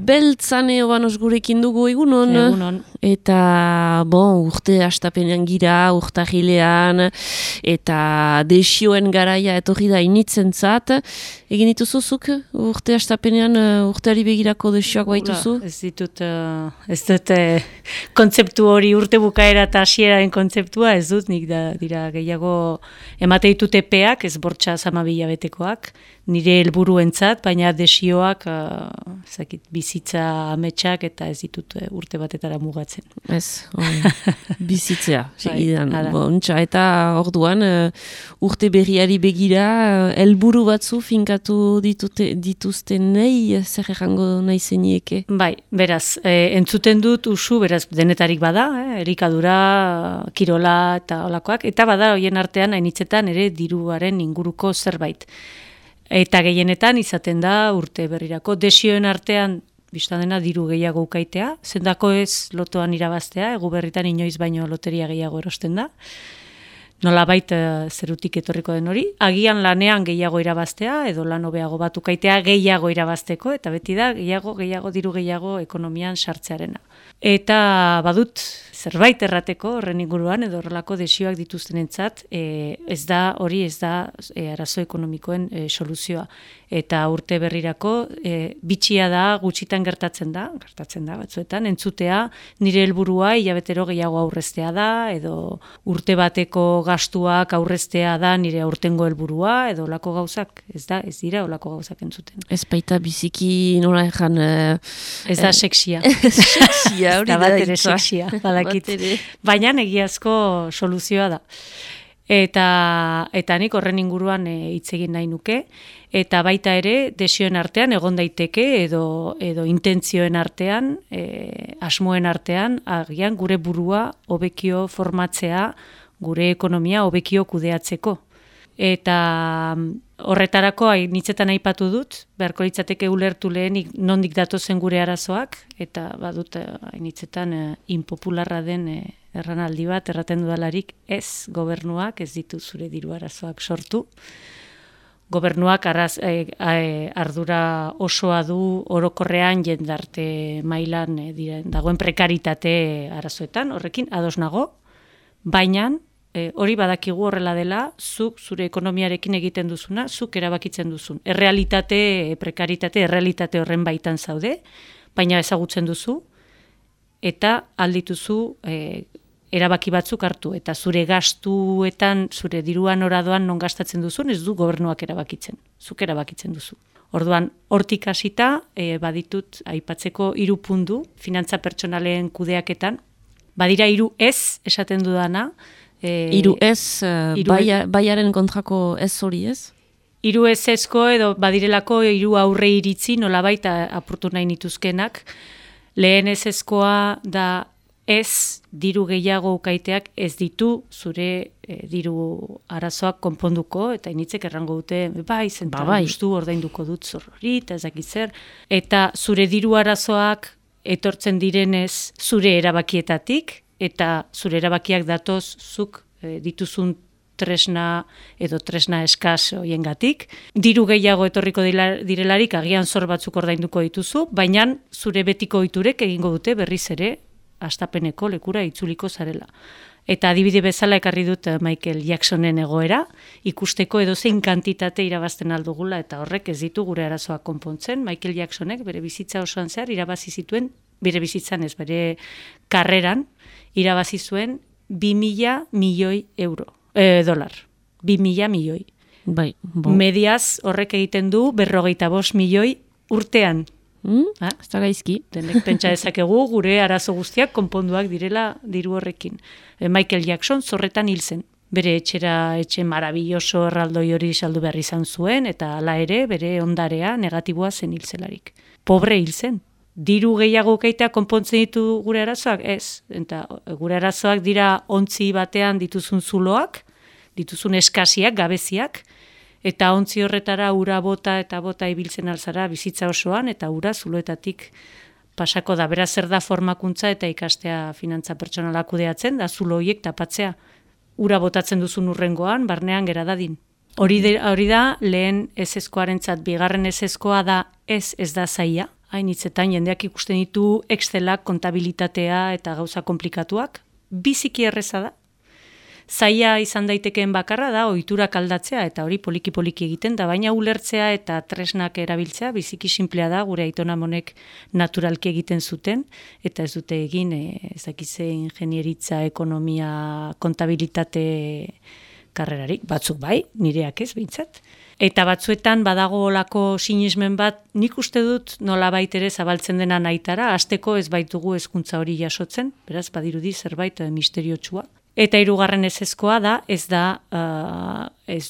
beltzan eobanos gurekin dugu egunon. Egunon. Eta, urte hastapenean gira, urtahilean, eta desioen garaia etorri da initzen zat. Egin dituzuzuk urte hastapenean urteari begirako desioak baituzu? Ez dut kontzeptu hori urte bukaera eta hasieraren kontzeptua, ez dut, nik dira gehiago emate ditut epeak, ez bortxa 12 betekoak, nire helburuentzat, baina desioak bizitza ametsak eta ez ditut urte batetara mugatzen. Ez, bizitzea, segidan. Eta orduan, urte berriari begira, helburu batzu finkatu dituzten nahi, zer errango nahi zenieke? Bai, beraz, entzuten dut usu, beraz, denetarik bada, erikadura, kirola eta olakoak, eta bada hoien artean, hainitzetan ere diruaren inguruko zerbait. Eta gehienetan izaten da urte berrirako. Desioen artean, biztan dena diru gehiago ukaitea, zendako ez lotoan irabaztea, egu berritan inoiz baino loteria gehiago erosten da. Nolabait zerutik etorriko den hori. Agian lanean gehiago irabaztea, edo lan hobeago bat ukaitea gehiago irabazteko, eta beti da gehiago, diru gehiago ekonomian sartzearena. Eta badut zerbait errateko horren inguruan edo horrelako desioak dituztenentzat, ez da arazo ekonomikoen soluzioa. Eta urte berrirako bitxia da, gutxitan gertatzen da batzuetan, entzutea nire helburua hilabetero gehiago aurreztea da, edo urte bateko gastuak aurreztea da nire aurtengo helburua, edo olako gauzak, ez dira olako gauzak entzuten. Ez baita biziki nola ejan... Ez da seksia. Seksia, hori da. Bat ere seksia, badakit. Baina egiazko soluzioa da. Eta nik horren inguruan hitz egin nahi nuke, eta baita ere desioen artean egon daiteke edo intentzioen artean, asmoen artean, agian gure burua hobekio formatzea, gure ekonomia hobekio kudeatzeko. Eta horretarako nitzetan aipatu dut, beharko litzateke ulertu lehenik nondik datozen gure arazoak, eta badut nitzetan inpopularra den erranaldi bat, erraten dudalarik ez gobernuak, ez ditu zure diru arazoak sortu. Gobernuak ardura osoa du orokorrean jendarte mailan dagoen prekaritate arazoetan, horrekin ados nago, baina hori badakigu horrela dela, zuk zure ekonomiarekin egiten duzuna, zuk erabakitzen duzun. Prekaritate, errealitate horren baitan zaude, baina ezagutzen duzu, eta aldituzu erabaki batzuk hartu, eta zure gastuetan, zure diruan oradoan non gastatzen duzun, ez du gobernuak erabakitzen, zuk erabakitzen duzu. Orduan, hortik hasita, baditut aipatzeko 3 puntu, finantza pertsonalen kudeaketan, badira 3 ez esaten dudana, 3 ez, baiaren kontrako ez hori ez? 3 ezezko edo badirelako 3 aurre iritzi nolabait apurtu nahi nituzkenak. Lehen ezezkoa da ez diru gehiago ukaiteak ez ditu zure diru arazoak konponduko, eta initzek errango dute, gustu ordainduko dut zorrori, eta ezakit zer, eta zure diru arazoak etortzen direnez zure erabakietatik, eta zure erabakiak datoz zuk dituzun tresna edo tresna eskas hoiengatik. Diru gehiago etorriko direlarik agian zor batzuk ordainduko dituzu, baina zure betiko ohiturek egingo dute berriz ere hastapeneko lekura itzuliko zarela. Eta adibide bezala ekarri dut Michael Jacksonen egoera, ikusteko edozein kantitate irabazten aldugula, eta horrek ez ditu gure arazoak konpontzen. Michael Jacksonek bere bizitza osoan zehar irabazi zituen, bere bizitzan ez, bere karreran, irabazi zuen 2.000 milioi dolar. 2.000 milioi. Bai, Mediaz horrek egiten du 45 milioi urtean. Ez da gaizki. Denek pentsa dezakegu gure arazo guztiak konponduak direla diru horrekin. Michael Jackson zorretan hil zen. Bere etxe marabilloso erraldoi hori saldu behar izan zuen, eta hala ere bere ondarea negatiboa zen hilzelarik. Pobre hil zen. Diru gehiago ukaitea konpontzen ditu gure arazoak? Ez. Eta gure arazoak dira ontzi batean dituzun zuloak, dituzun eskasiak, gabeziak, eta ontzi horretara ura bota eta bota ibiltzen alzara bizitza osoan, eta ura zuloetatik pasako da. Beraz zer da formakuntza eta ikastea finantza pertsonala kudeatzen, da zulo horiek tapatzea. Ura botatzen duzun urrengoan, barnean gera dadin. Hori da lehen ezezkoarentzat, bigarren ezezkoa da ez da zaila. hainitzetan jendeak ikusten ditu Excelak, kontabilitatea eta gauza komplikatuak, biziki erreza da. Zaila izan daitekeen bakarra da, ohiturak aldatzea, eta hori poliki-poliki egiten da, baina ulertzea eta tresnak erabiltzea, biziki sinplea da, gure aitonamonek naturalki egiten zuten, eta ez dute egin, ezakitze ingenieritza, ekonomia, kontabilitate karrerarik, batzuk bai, nireak ez, behintzat. Eta batzuetan badago olako sinismen bat, nik uste dut nolabait ere zabaltzen dena nahitara, hasteko ez baitugu hezkuntza hori jasotzen, beraz badirudi zerbait misteriotsua. Eta hirugarren ezezkoa da, ez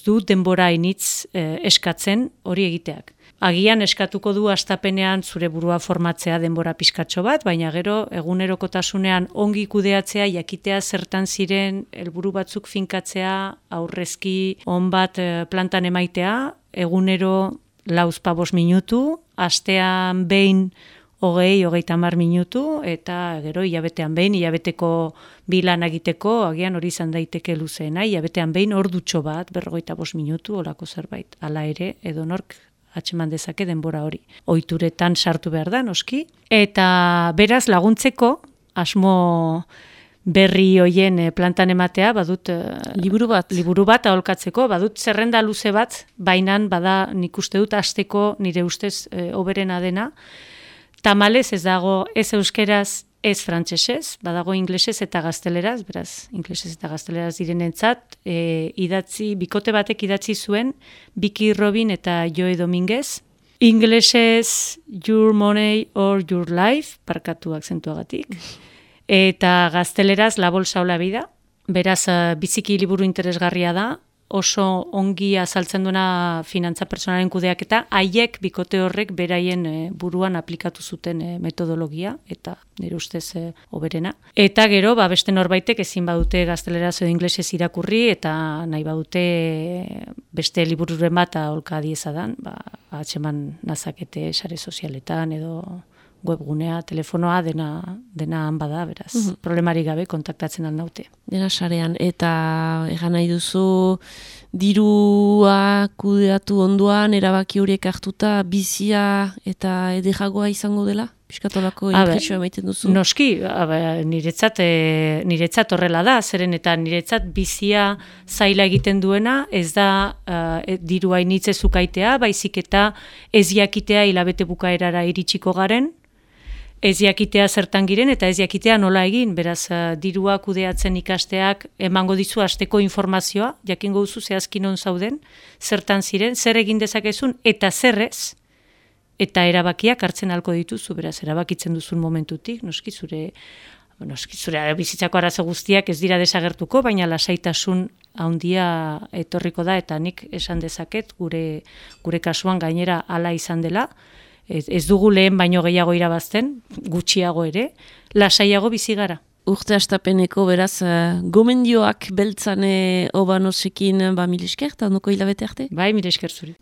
du denbora initz eskatzen hori egiteak. Agian eskatuko du hastapenean zure burua formatzea denbora pizkatxo bat, baina gero egunerokotasunean ongi kudeatzea, jakitea zertan ziren helburu batzuk finkatzea, aurrezki on bat plantan emaitea, egunero 4-5 minutu, astean behin 20-30 minutu, eta gero hilabetean behin, hilabeteko bilan egiteko, agian hori izan daiteke luzeena, hilabetean behin ordutxo bat, 45 minutu, olako zerbait. Hala ere, edonork atxeman dezake denbora hori. Ohituretan sartu behar da, noski. Eta beraz laguntzeko, asmo berri hoien plantan ematea, badut liburu bat aholkatzeko, badut zerrenda luze bat, bainan bada nik uste dut hasteko nire ustez hoberena dena. Tamalez ez dago ez euskeraz, ez frantsesez, badago inglesez eta gazteleraz, beraz, inglesez eta gazteleraz direnentzat, bikote batek idatzi zuen, Vicky Robin eta Joe Dominguez. Inglesez, Your Money or Your Life, parkatu akzentuagatik, eta gazteleraz, La Bolsa o la Vida, beraz, biziki liburu interesgarria da, oso ongi azaltzen duena finantza personalen kudeaketa, haiek bikote horrek beraien buruan aplikatu zuten metodologia, eta nire ustez hoberena. Eta gero, beste norbaitek ezin badute gazteleraz edo inglesez irakurri, eta nahi badute beste libururen bat aholka diezadan, atxeman nazakete sare sozialetan edo webgunea, telefonoa, dena han bada, beraz. Problemarik gabe kontaktatzen aldaute. Dena sarean, eta egan nahi duzu dirua kudeatu onduan, erabaki horiek hartuta, bizia eta edejagoa izango dela? Piskatolako impresioa emaiten duzu? Noski, niretzat horrela da, zeren eta niretzat bizia zaila egiten duena, ez da dirua initze zukaitea, baizik eta ez jakitea hilabete bukaerara iritsiko garen, ez jakitea zertan giren eta ez jakitea nola egin, beraz dirua kudeatzen ikasteak emango dizu hasteko informazioa, jakingo duzu zehazki non zauden, zertan ziren, zer egin dezakezun eta zerrez, eta erabakiak hartzen halko dituzu, beraz erabakitzen duzun momentutik, noski zure bizitzako arazo guztiak ez dira desagertuko, baina lasaitasun handia etorriko da, eta nik esan dezaket gure kasuan gainera hala izan dela. Ez dugu lehen baino gehiago irabazten, gutxiago ere, lasaiago bizi gara. Urte hastapeneko beraz gomendioak beltzane obanosekin mil esker, eta ondoko hilabete arte? Bai, mil esker zuri.